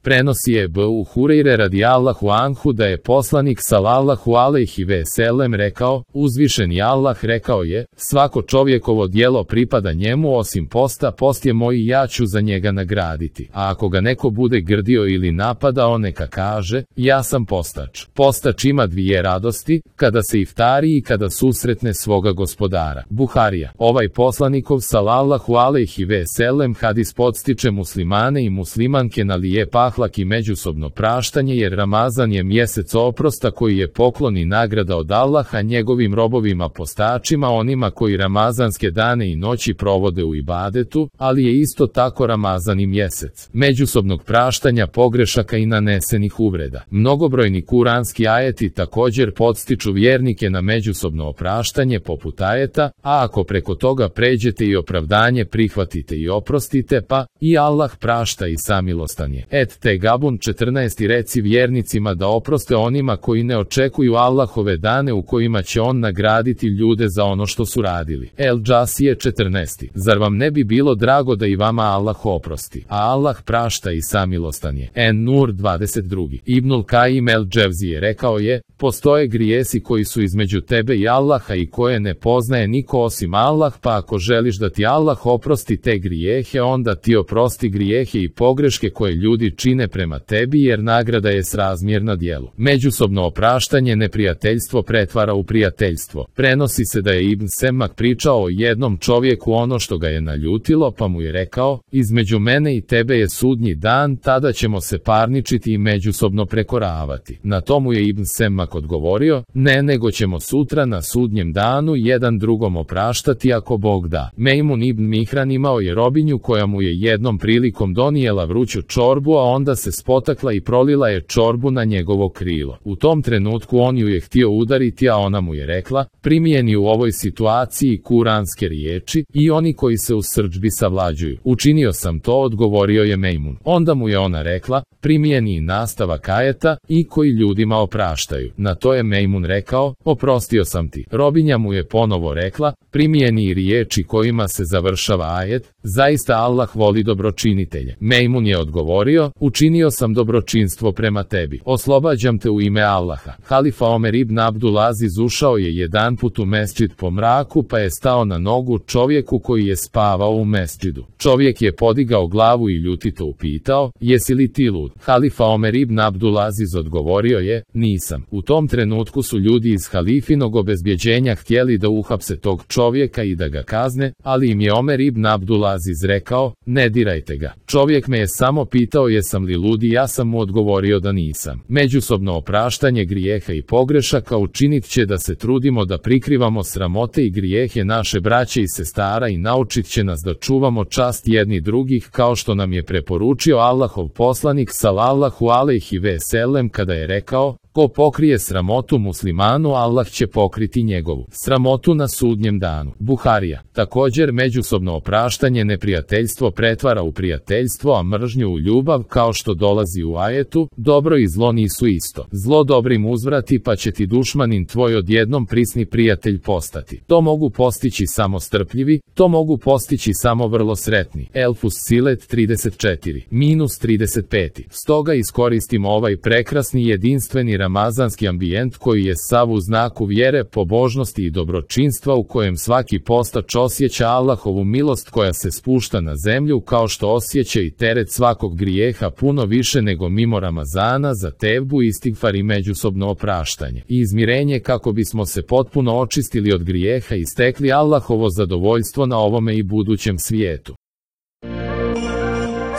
Prenosi je Ebu Hureyre radijallahu anhu da je poslanik sallallahu alejhi ve sellem rekao, uzvišeni Allah rekao je, svako čovjekovo djelo pripada njemu osim posta, post je moj i ja ću za njega nagraditi. A ako ga neko bude grdio ili napadao, neka kaže, ja sam postač. Postač ima dvije radosti, kada se iftari i kada susretne svoga gospodara. Buharija. Ovaj poslanikov sallallahu alejhi ve sellem hadis podstiče muslimane i muslimanke na lijep ahlak i međusobno praštanje, jer Ramazan je mjesec oprosta koji je poklon i nagrada od Allaha njegovim robovima postačima, onima koji ramazanske dane i noći provode u ibadetu, ali je isto tako Ramazan i mjesec međusobnog praštanja pogrešaka i nanesenih uvreda. Mnogobrojni kuranski ajeti također podstiču vjernike na međusobno opraštanje poput ajeta, a ako preko toga pređete i opravdanje prihvatite i oprostite, pa i Allah prašta i samilostan je. Tegabun 14. Reci vjernicima da oproste onima koji ne očekuju Allahove dane u kojima će on nagraditi ljude za ono što su radili. El Džasije 14. Zar vam ne bi bilo drago da i vama Allah oprosti, a Allah prašta i samilostan je. En-Nur 22. Ibnul Kajim el Dževzije rekao je, postoje grijesi koji su između tebe i Allaha i koje ne poznaje niko osim Allah, pa ako želiš da ti Allah oprosti te grijehe, onda ti oprosti grijehe i pogreške koje ljudi čine prema tebi, jer nagrada je srazmjerna djelu. Međusobno opraštanje neprijateljstvo pretvara u prijateljstvo. Prenosi se da je Ibn Semak pričao o jednom čovjeku ono što ga je naljutilo, pa mu je rekao, između mene i tebe je sudnji dan, tada ćemo se parničiti i međusobno prekoravati. Na to mu je Ibn Semak odgovorio, ne, nego ćemo sutra na sudnjem danu jedan drugom opraštati ako Bog da. Mejmun ibn Mihran imao je robinju koja mu je jednom prilikom donijela vruću čorbu, a onda se spotakla i prolila je čorbu na njegovo krilo. U tom trenutku on ju je htio udariti, a ona mu je rekla, primijeni u ovoj situaciji kuranske riječi, i oni koji se u srdžbi savlađuju. Učinio sam to, odgovorio je Mejmun. Onda mu je ona rekla, primijeni nastavak ajeta, i koji ljudima opraštaju. Na to je Mejmun rekao, oprostio sam ti. Robinja mu je ponovo rekla, primijeni riječi kojima se završava ajet, zaista Allah voli dobročinitelje. Mejmun je odgovorio, učinio sam dobročinstvo prema tebi. Oslobađam te u ime Allaha. Halifa Omer ibn Abdulaziz ušao je jedanput u mesdžid po mraku, pa je stao na nogu čovjeku koji je spavao u mesdžidu. Čovjek je podigao glavu i ljutito upitao, jesi li ti lud? Halifa Omer ibn Abdulaziz odgovorio je, nisam. U tom trenutku su ljudi iz halifinog obezbjeđenja htjeli da uhapse tog čovjeka i da ga kazne, ali im je Omer ibn Abdulaziz rekao, ne dirajte ga. Čovjek me je samo pitao jesam li lud i ja sam mu odgovorio da nisam. Međusobno opraštanje grijeha i pogrešaka učinit će da se trudimo da prikrivamo sramote i grijehe naše braće i sestara i naučit će nas da čuvamo čast jedni drugih, kao što nam je preporučio Allahov poslanik sallallahu alejhi ve sellem kada je rekao, ko pokrije sramotu muslimanu, Allah će pokriti njegovu sramotu na sudnjem danu. Buharija. Također međusobno opraštanje neprijateljstvo pretvara u prijateljstvo, a mržnju u ljubav, kao što dolazi u ajetu, dobro i zlo nisu isto. Zlo dobrim uzvrati, pa će ti dušmanin tvoj odjednom prisni prijatelj postati. To mogu postići samo strpljivi, to mogu postići samo vrlo sretni. Elfus Silet 34-35. Stoga iskoristimo ovaj prekrasni jedinstveni ramazanski ambijent koji je sav u znaku vjere, pobožnosti i dobročinstva, u kojem svaki postač osjeća Allahovu milost koja se spušta na zemlju, kao što osjeća i teret svakog grijeha puno više nego mimo Ramazana, za tevbu, istigfar i međusobno opraštanje i izmirenje, kako bismo se potpuno očistili od grijeha i stekli Allahovo zadovoljstvo na ovome i budućem svijetu.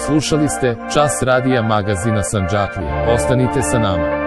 Slušali ste Čas radija magazina Sandžaklija. Ostanite sa nama.